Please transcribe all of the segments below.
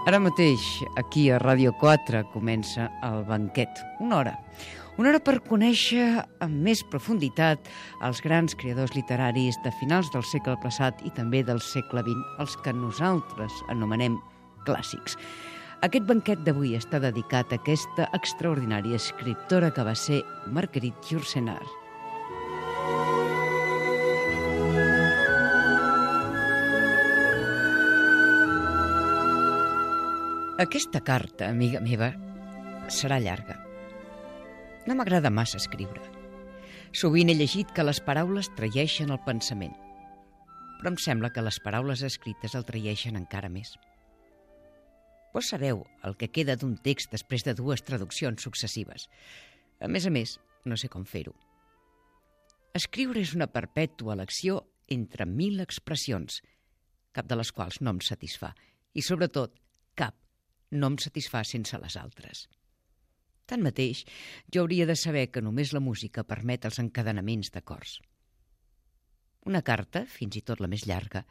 Ara mateix, aquí a Ràdio 4, comença el banquet. Una hora per conèixer amb més profunditat els grans creadors literaris de finals del segle passat i també del segle XX, els que nosaltres anomenem clàssics. Aquest banquet d'avui està dedicat a aquesta extraordinària escriptora que va ser Marguerite Yourcenar. Aquesta carta, amiga meva, serà llarga. No m'agrada massa escriure. Sovint he llegit que les paraules traeixen el pensament, però em sembla que les paraules escrites el traeixen encara més. Vos sabeu el que queda d'un text després de 2 traduccions successives. A més, no sé com fer-ho. Escriure és una perpètua elecció entre 1000 expressions, cap de les quals no em satisfà, i sobretot cap no em satisfà sense les altres. Tanmateix, jo hauria de saber que només la música permet els encadenaments d'acords. Una carta, fins i tot la més llarga,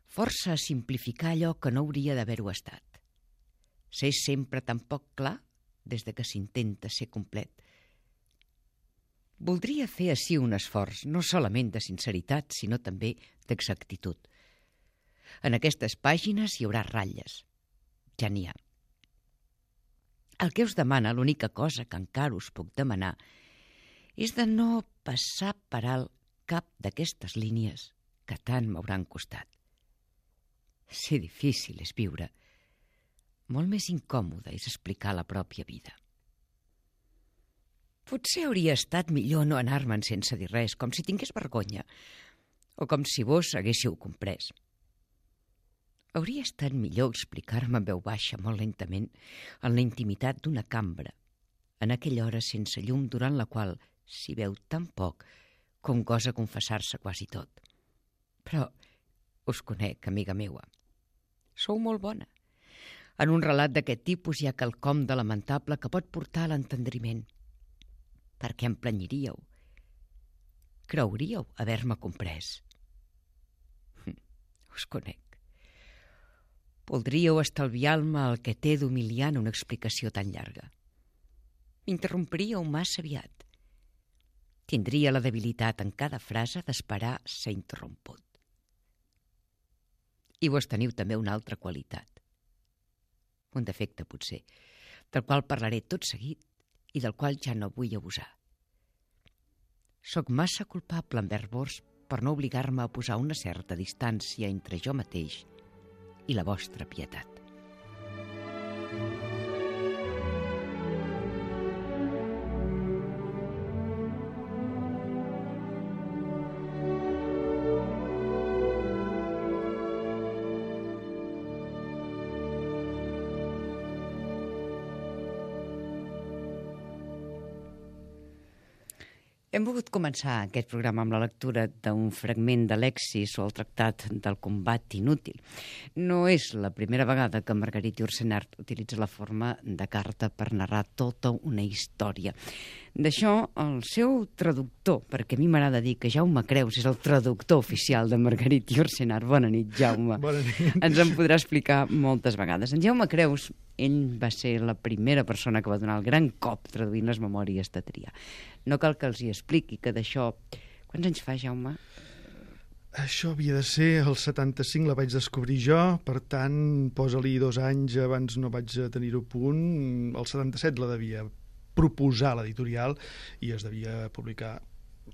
força a simplificar allò que no hauria d'haver-ho estat. S'és sempre tan poc clar des de que s'intenta ser complet. Voldria fer ací un esforç, no solament de sinceritat, sinó també d'exactitud. En aquestes pàgines hi haurà ratlles. Ja n'hi ha. El que us demana, l'única cosa que encara us puc demanar, és de no passar per alt cap d'aquestes línies que tant m'hauran costat. Ser difícil és viure. Molt més incòmode és explicar la pròpia vida. Potser hauria estat millor no anar-me'n sense dir res, com si tingués vergonya, o com si vos haguéssiu comprès. Hauria estat millor explicar-me en veu baixa, molt lentament, en la intimitat d'una cambra, en aquella hora sense llum durant la qual s'hi veu tan poc com gosa confessar-se quasi tot. Però us conec, amiga meua. Sou molt bona. En un relat d'aquest tipus hi ha quelcom de lamentable que pot portar a l'entendriment. Per què em planyiríeu? Creuríeu haver-me comprès? Us conec. Voldríeu estalviar-me el que té d'humiliar en una explicació tan llarga. M'interrompiríeu massa aviat. Tindria la debilitat en cada frase d'esperar ser interromput. I vos teniu també una altra qualitat. Un defecte, potser, del qual parlaré tot seguit i del qual ja no vull abusar. Soc massa culpable envers vos per no obligar-me a posar una certa distància entre jo mateix i la vostra pietat. Hem volgut començar aquest programa amb la lectura d'un fragment de Lexis o el tractat del combat inútil. No és la primera vegada que Marguerite Yourcenar utilitza la forma de carta per narrar tota una història. D'això, el seu traductor, perquè a mi m'agrada dir que Jaume Creus és el traductor oficial de Marguerite Yourcenar. Bona nit, Jaume. Bona nit. Ens en podrà explicar moltes vegades. En Jaume Creus, ell va ser la primera persona que va donar el gran cop traduint les memòries de Trià. No cal que els hi expliqui que d'això... Quants anys fa, Jaume? Això havia de ser el 75, la vaig descobrir jo, per tant, posa-li 2 anys, abans no vaig tenir-ho a punt. El 77 la devia proposar l'editorial i es devia publicar.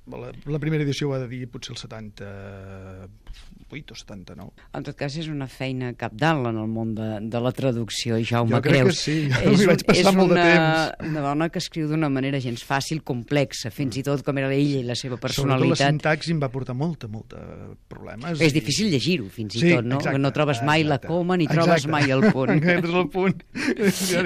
La primera edició va de dir potser el 78 o 79. En tot cas, és una feina cabdal en el món de la traducció, Jaume jo crec Creus. Que sí, m'hi vaig passar molt de temps. És una dona que escriu d'una manera gens fàcil, complexa, fins i tot com era ella i la seva personalitat. Sobretot la sintaxi em va portar molta problemes. És difícil llegir-ho, fins i tot, no? Exacte, no trobes mai la coma ni trobes mai el punt. Aquest és el punt.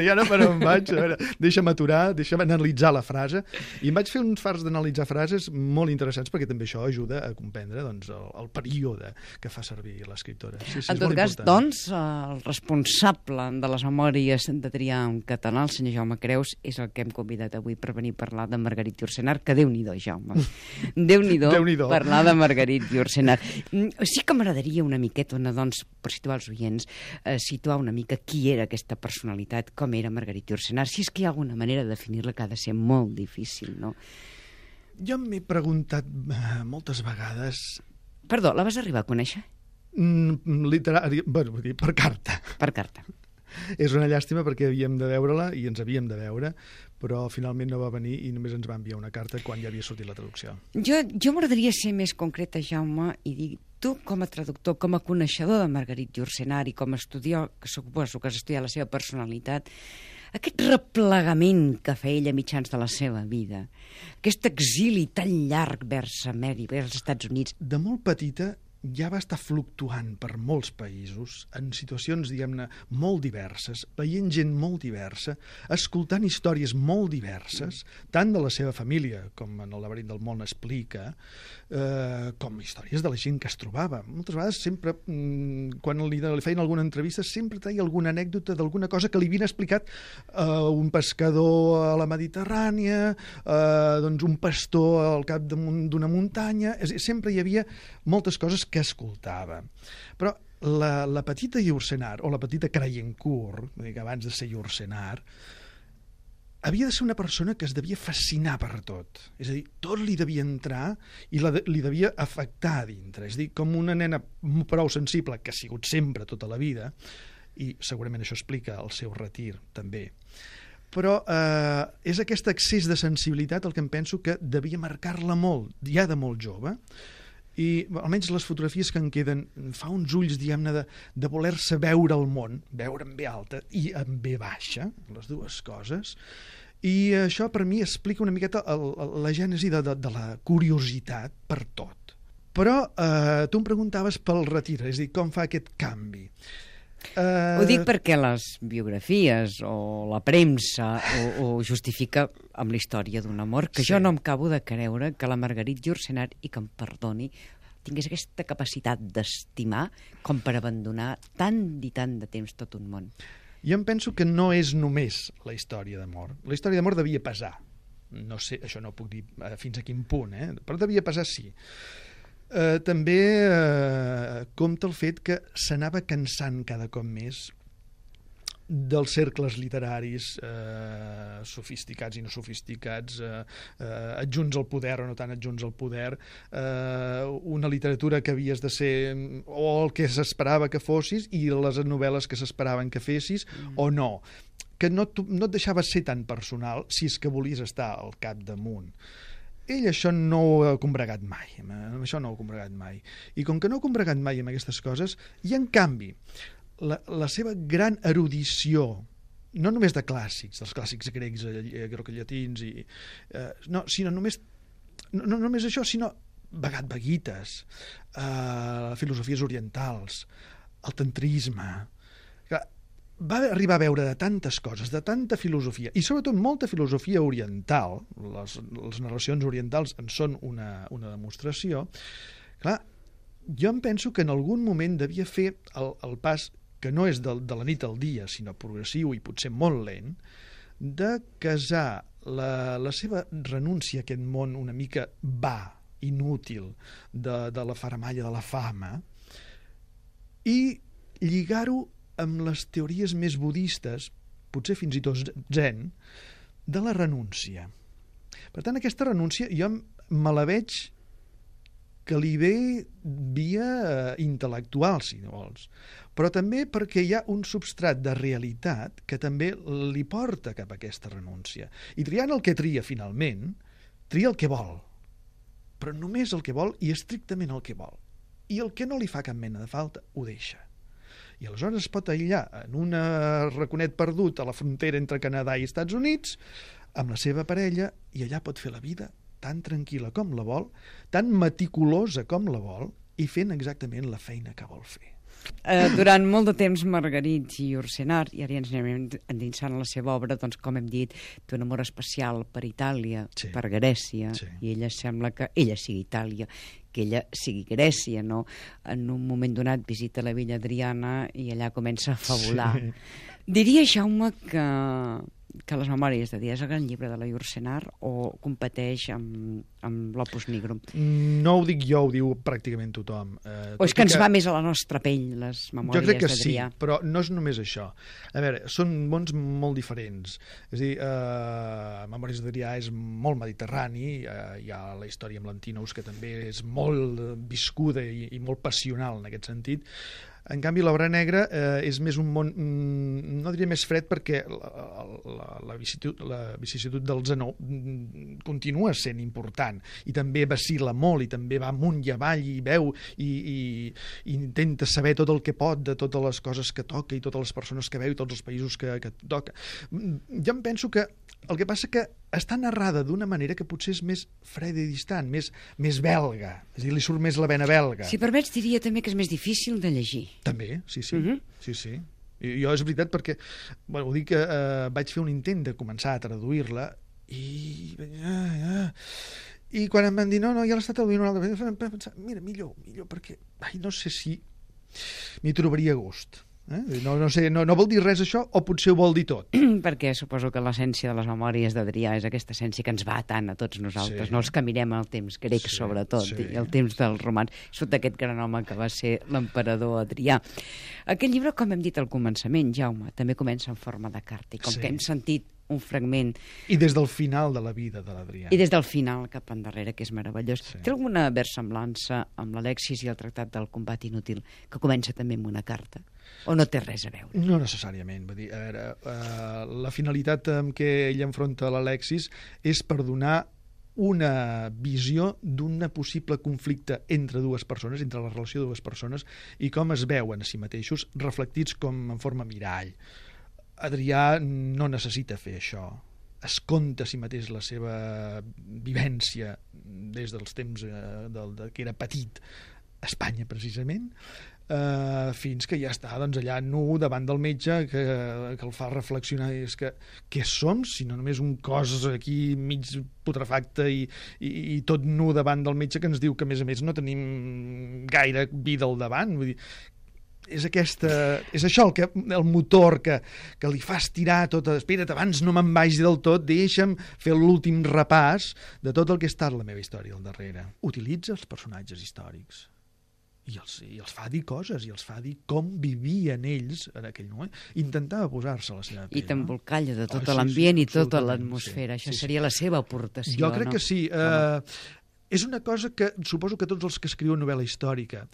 Ja no per on vaig. A veure, deixa'm aturar, deixa'm analitzar la frase. I em vaig fer uns fars d'analitzar frases molt interessants perquè també això ajuda a comprendre doncs, el període que fa servir l'escriptora. Sí, en tot cas, doncs, el responsable de les memòries de triar en català, el senyor Jaume Creus, és el que hem convidat avui per venir a parlar de Margarit Yourcenar, que Déu-n'hi-do, Jaume. Déu-n'hi-do parlar de Margarit Yourcenar. Sí que m'agradaria una miqueta, doncs, per situar els oients, situar una mica qui era aquesta personalitat, com era Margarit Yourcenar, si és que hi ha alguna manera de definir-la que ha de ser molt difícil, no? Jo m'he preguntat moltes vegades... Perdó, la vas arribar a conèixer? Bueno, vull dir, per carta. Per carta. És una llàstima perquè havíem de veure-la i ens havíem de veure, però finalment no va venir i només ens va enviar una carta quan ja havia sortit la traducció. Jo m'agradaria ser més concreta, Jaume, i dir, tu com a traductor, com a coneixedor de Margarit Yourcenar i com a estudiar, que suposo que has estudiat la seva personalitat, aquest replegament que feia ella mitjans de la seva vida, aquest exili tan llarg vers Amèrica, vers els Estats Units... De molt petita ja va estar fluctuant per molts països, en situacions, diguem-ne, molt diverses, veient gent molt diversa, escoltant històries molt diverses, tant de la seva família, com en el Laberint del món explica, com històries de la gent que es trobava. Moltes vegades, sempre, quan li feien alguna entrevista, sempre treia alguna anècdota d'alguna cosa que li havien explicat un pescador a la Mediterrània, doncs un pastor al cap d'una muntanya... Sempre hi havia moltes coses que escoltava. Però la petita Yourcenar, o la petita Crayencourt, abans de ser Yourcenar, havia de ser una persona que es devia fascinar per tot. És a dir, tot li devia entrar i li devia afectar a dintre. És a dir, com una nena prou sensible, que ha sigut sempre tota la vida, i segurament això explica el seu retir, també. Però és aquest excés de sensibilitat el que em penso que devia marcar-la molt, ja de molt jove, i almenys les fotografies que en queden fa uns ulls, diguem-ne, de voler-se veure el món, veure en B alta i en B baixa, les dues coses, i això per mi explica una miqueta la gènesi de la curiositat per tot. Però tu em preguntaves pel retir, és a dir, com fa aquest canvi. Ho dic perquè les biografies o la premsa ho justifica amb la història d'un amor, que jo no em acabo de creure que la Margarit Yourcenar, i que em perdoni, tingués aquesta capacitat d'estimar com per abandonar tant i tant de temps tot un món. Jo em penso que no és només la història d'amor. La història d'amor devia pesar. No sé, això no ho puc dir fins a quin punt, però devia pesar, sí. També compta el fet que s'anava cansant cada cop més dels cercles literaris sofisticats i no sofisticats, adjunts al poder o no tan adjunts al poder, una literatura que havies de ser o el que s'esperava que fossis i les novel·les que s'esperaven que fessis o no, que no et deixava ser tan personal si és que volies estar al capdamunt. Ell això no ho ha combregat mai, I com que no ha combregat mai amb aquestes coses, i en canvi, la seva gran erudició, no només de clàssics, dels clàssics grecs, grecollatins, no només això, sinó Bhagavad Gites, filosofies orientals, el tantrisme... Va arribar a veure de tantes coses, de tanta filosofia, i sobretot molta filosofia oriental, les narracions orientals en són una demostració. Clar, jo em penso que en algun moment devia fer el pas, que no és de la nit al dia, sinó progressiu i potser molt lent, de casar la seva renúncia a aquest món una mica inútil, de la faramalla de la fama, i lligar-ho amb les teories més budistes, potser fins i tot zen, de la renúncia. Per tant, aquesta renúncia jo me la veig que li ve via intel·lectual, si no vols, però també perquè hi ha un substrat de realitat que també li porta cap a aquesta renúncia. I triant el que tria finalment, tria el que vol, però només el que vol i estrictament el que vol. I el que no li fa cap mena de falta, ho deixa. I aleshores es pot aïllar en un raconet perdut a la frontera entre Canadà i Estats Units amb la seva parella i allà pot fer la vida tan tranquil·la com la vol, tan meticulosa com la vol i fent exactament la feina que vol fer. Durant molt de temps Margarit i Ursenar, i ara ja ens anem endinsant a la seva obra, doncs com hem dit, té un amor especial per Itàlia, per Grècia, i ella sembla que ella sigui Itàlia, que ella sigui Grècia, no? En un moment donat visita la Villa Adriana i allà comença a fabular. Diria, Jaume, que les Memòries de Adrià és el gran llibre de la Ursenar o competeix amb l'Opus Nigrum? No ho dic jo, ho diu pràcticament tothom. O és que ens va més a la nostra pell, les Memòries d'Adrià? Jo crec que sí, però no és només això. A veure, són mons molt diferents. És a dir, Memòries d'Adrià és molt mediterrani, hi ha la història amb l'Antinous, que també és molt viscuda i molt passional en aquest sentit. En canvi, l'Obra Negra és més un món, no diria més fred, perquè la vicissituд del Zenó continua sent important i també vacil·la molt i també va amunt i avall i veu i intenta saber tot el que pot de totes les coses que toca i totes les persones que veu i tots els països que toca. Jo em penso que el que passa que està narrada d'una manera que potser és més freda i distant, més belga. És a dir, li surt més la vena belga. Si permets, diria també que és més difícil de llegir. També, sí. Sí. Jo és veritat perquè, ho dic que vaig fer un intent de començar a traduir-la i quan em van dir no, ja l'està traduint una altra vegada, vam pensar, mira, millor, perquè no sé si m'hi trobaria a gust. No sé, no vol dir res això o potser ho vol dir tot? Perquè suposo que l'essència de les Memòries d'Adrià és aquesta essència que ens va tant a tots nosaltres, no els que mirem el temps grec sobretot i el temps dels romans, sota aquest gran home que va ser l'emperador Adrià. Aquest llibre, com hem dit al començament, Jaume, també comença en forma de carta i com que hem sentit un fragment... I des del final de la vida de l'Adrià. I des del final cap endarrere, que és meravellós. Té alguna versemblança amb l'Alexis i el Tractat del Combat Inútil, que comença també amb una carta? O no té res a veure? No necessàriament. Vull dir, a veure, la finalitat amb què ell enfronta l'Alexis és per donar una visió d'un possible conflicte entre dues persones, entre la relació de dues persones, i com es veuen a si mateixos reflectits com en forma mirall. Adrià no necessita fer això. Es conta a si mateix la seva vivència des dels temps que era petit a Espanya, precisament, fins que ja està allà nu davant del metge que el fa reflexionar. És que què som, si no només un cos aquí mig putrefacte i tot nu davant del metge que ens diu que a més no tenim gaire vida al davant. Vull dir, és això el motor que li fa estirar tot. Espera't, abans no me'n vagi del tot, deixa'm fer l'últim repàs de tot el que ha estat la meva història al darrere. Utilitza els personatges històrics i els fa dir coses, i els fa dir com vivien ells en aquell moment. Intentava posar-se a la seva pell. I t'embolcalla de tot l'ambient i tota l'atmosfera. Això seria la seva aportació. Jo crec que sí. És una cosa que suposo que tots els que escriuen novel·la històrica,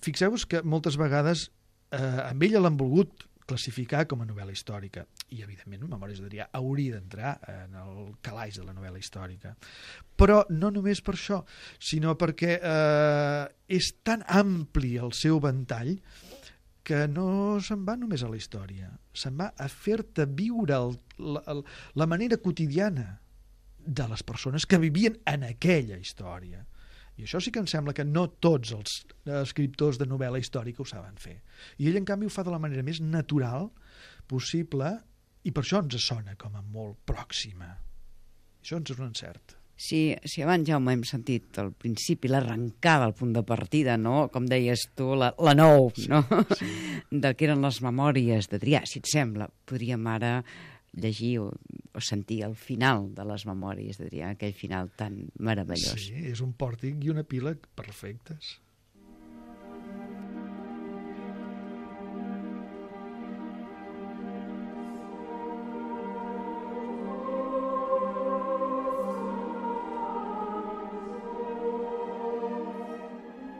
fixeu-vos que moltes vegades amb ella l'han volgut classificar com a novel·la històrica, i evidentment Memòries d'Adrià hauria d'entrar en el calaix de la novel·la històrica, però no només per això, sinó perquè és tan ampli el seu ventall que no se'n va només a la història, se'n va a fer-te viure la manera quotidiana de les persones que vivien en aquella història. I això sí que em sembla que no tots els escriptors de novel·la històrica ho saben fer. I ell, en canvi, ho fa de la manera més natural possible, i per això ens sona com a molt pròxima. Això ens és un encert. Si abans, Jaume, hem sentit al principi l'arrencada, el punt de partida, no? Com deies tu, la nou, no? Sí. De què eren les Memòries d'Adrià. Si et sembla, podríem ara llegir o sentir el final de les Memòries d'Adrià, aquell final tan meravellós. Sí, és un pòrtic i un epíleg perfectes.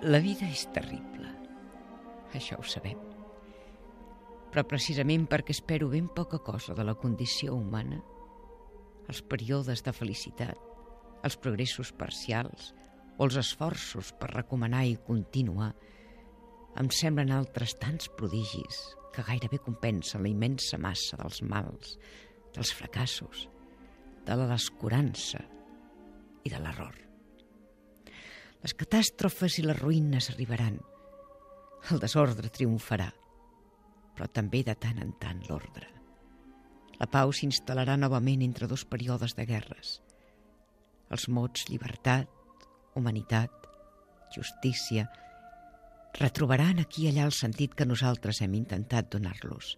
La vida és terrible, això ho sabem. Però precisament perquè espero ben poca cosa de la condició humana, els períodes de felicitat, els progressos parcials o els esforços per recomanar i continuar, em semblen altres tants prodigis que gairebé compensen la immensa massa dels mals, dels fracassos, de la descurança i de l'error. Les catàstrofes i les ruïnes arribaran. El desordre triomfarà, però també de tant en tant l'ordre. La pau s'instal·larà novament entre dos períodes de guerres. Els mots llibertat, humanitat, justícia, retrobaran aquí i allà el sentit que nosaltres hem intentat donar-los.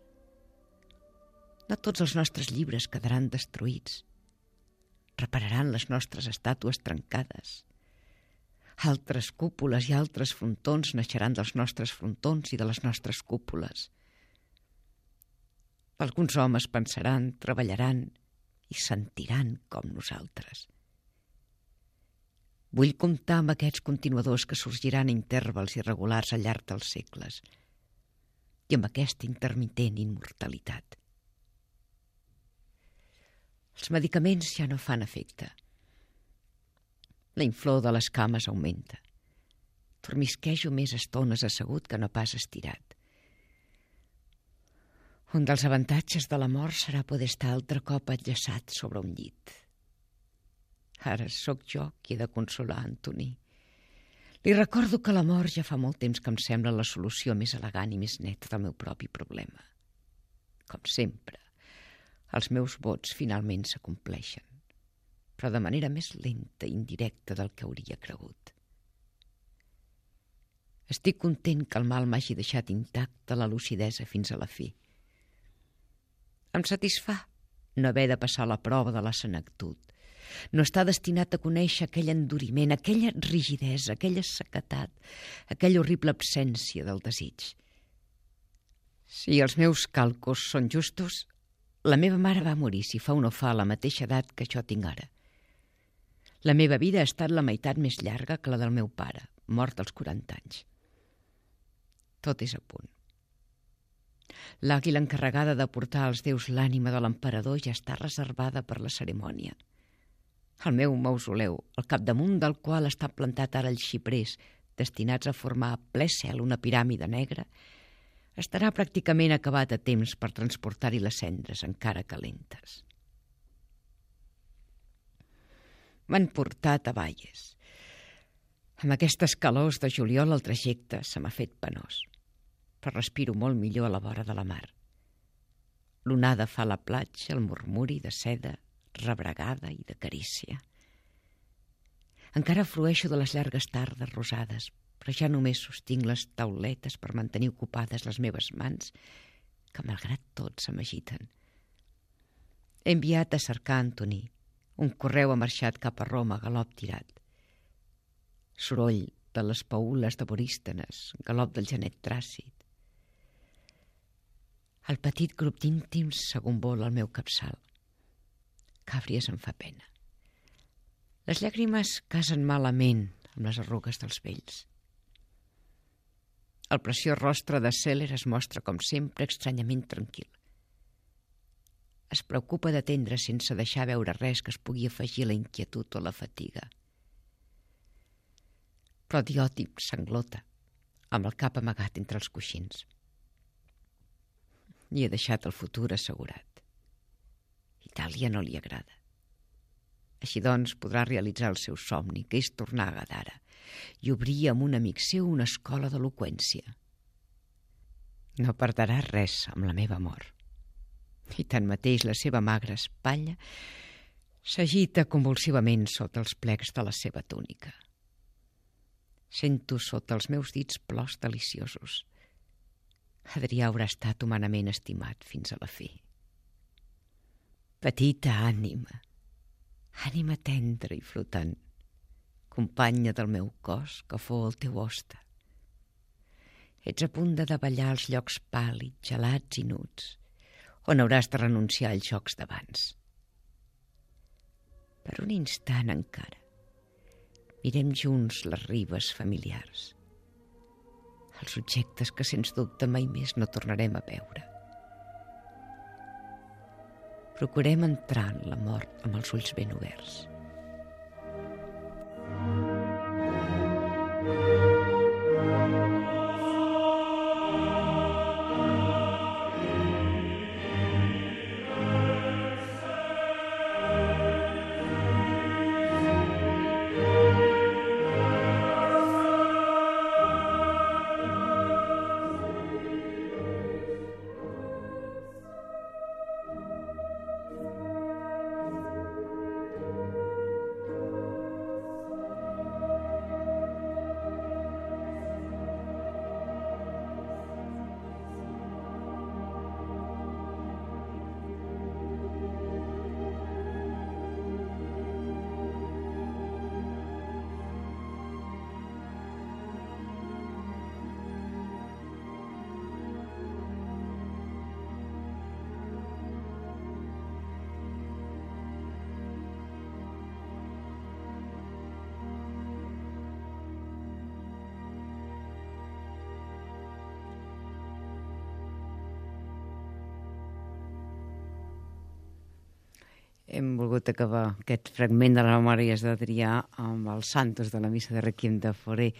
No tots els nostres llibres quedaran destruïts. Repararan les nostres estàtues trencades. Altres cúpules i altres frontons naixeran dels nostres frontons i de les nostres cúpules. Alguns homes pensaran, treballaran i sentiran com nosaltres. Vull comptar amb aquests continuadors que sorgiran a intervals irregulars al llarg dels segles i amb aquesta intermitent immortalitat. Els medicaments ja no fan efecte. La inflor de les cames augmenta. Dormisquejo més estones assegut que no pas estirat. Un dels avantatges de la mort serà poder estar altre cop enllaçat sobre un llit. Ara sóc jo qui he de consolar Antoni. Li recordo que la mort ja fa molt temps que em sembla la solució més elegant i més neta del meu propi problema. Com sempre, els meus vots finalment s'acompleixen, però de manera més lenta i indirecta del que hauria cregut. Estic content que el mal m'hagi deixat intacta la lucidesa fins a la fi. Em satisfà no haver de passar la prova de la senectut, no estar destinat a conèixer aquell enduriment, aquella rigidesa, aquella sequetat, aquella horrible absència del desig. Si els meus càlculs són justos, la meva mare va morir, si fa o no fa, a la mateixa edat que jo tinc ara. La meva vida ha estat la meitat més llarga que la del meu pare, mort als 40 anys. Tot és a punt. L'àguila encarregada de portar als déus l'ànima de l'emperador ja està reservada per la cerimònia. El meu mausoleu, al capdamunt del qual està plantat ara els xiprers, destinats a formar a ple cel una piràmide negra, estarà pràcticament acabat a temps per transportar-hi les cendres encara calentes. M'han portat a Valles. Amb aquestes calors de juliol el trajecte se m'ha fet penós, però respiro molt millor a la vora de la mar. L'onada fa a la platja el murmuri de seda, rebregada i de carícia. Encara flueixo de les llargues tardes rosades, però ja només sostinc les tauletes per mantenir ocupades les meves mans, que malgrat tot se m'agiten. He enviat a cercar Antoni. Un correu ha marxat cap a Roma, galop tirat. Soroll de les paules de Borístenes, galop del genet tràcid. El petit grup d'íntims s'agombola al meu capçal. Càbries em fa pena. Les llàgrimes casen malament amb les arrugues dels vells. El preciós rostre de Seller es mostra, com sempre, estranyament tranquil. Es preocupa d'atendre sense deixar veure res que es pugui afegir a la inquietud o la fatiga. Però Diòtip s'englota, amb el cap amagat entre els coixins. I he deixat el futur assegurat. Itàlia no li agrada. Així doncs podrà realitzar el seu somni, que és tornar a Gadara, i obrir amb un amic seu una escola d'eloqüència. No perdrà res amb la meva mort. I tanmateix la seva magra espatlla s'agita convulsivament sota els plecs de la seva túnica. Sento sota els meus dits plors deliciosos. Adrià haurà estat humanament estimat fins a la fi. Petita ànima, ànima tendra i flotant, companya del meu cos que fou el teu hoste. Ets a punt de davallar els llocs pàl·lids, gelats i nuts, on hauràs de renunciar als jocs d'abans. Per un instant encara, mirem junts les ribes familiars, els objectes que sens dubte mai més no tornarem a veure. Procurem entrar en la mort amb els ulls ben oberts. hem volgut acabar aquest fragment de les memòries d'Adrià amb els santos de la missa de Requiem de Fauré,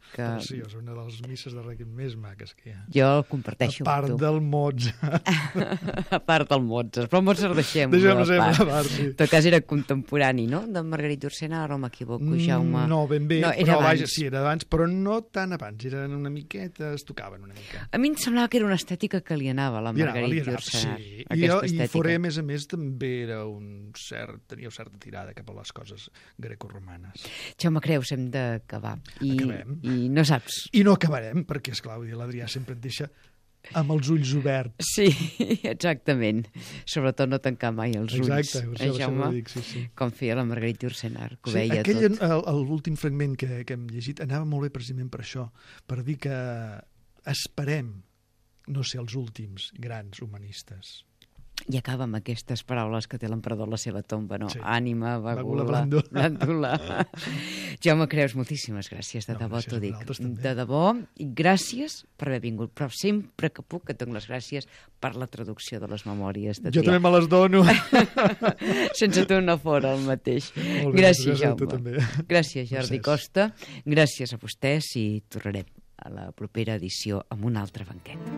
que Preciós, una de les misses de Requiem més maques que hi ha. jo el comparteixo A part amb tu. del Mozart. A part del Mozart, però el Mozart deixem-ho Deixem-ho a sempre part. a part, sí. En tot cas era contemporani, no?, de Margarit Urcena, ara no m'equivoco, Jaume. No, ben bé, No, era però vaja, abans. sí, era abans, però no tan abans, eren una miqueta, es tocaven una mica. A mi em semblava que era una estètica que li anava a la Margarit Urcena. sí. Aquesta I estètica. Fauré, a més, també era tenia certa tirada cap a les coses grecoromanes. Jaume Creus, hem d'acabar. Acabem. I no saps. I no acabarem, perquè, esclar, l'Adrià sempre et deixa amb els ulls oberts. Sí, exactament. Sobretot no tancar mai els ulls. Exacte, això Jaume? ho dic, sí, sí. Com feia la Margarita Ursenar, que ho Sí, veia aquell, tot. l'últim fragment que hem llegit anava molt bé precisament per això, per dir que esperem no ser els últims grans humanistes. I acaba amb aquestes paraules que té l'emperador a la seva tomba, no? Sí. Ànima, Vagula, vagula, blàndula. Jaume Creus, moltíssimes gràcies, de No, debò gràcies t'ho a dic. vosaltres també. De debò, i gràcies per haver vingut, però sempre que puc et dono les gràcies per la traducció de les memòries de Jo també me les dono. Sense tu no fora el mateix. Molt bé, Gràcies, gràcies a tu Jaume. també. Gràcies, Jordi Mercès. Costa. Gràcies a vostès i tornarem a la propera edició amb un altre banquet.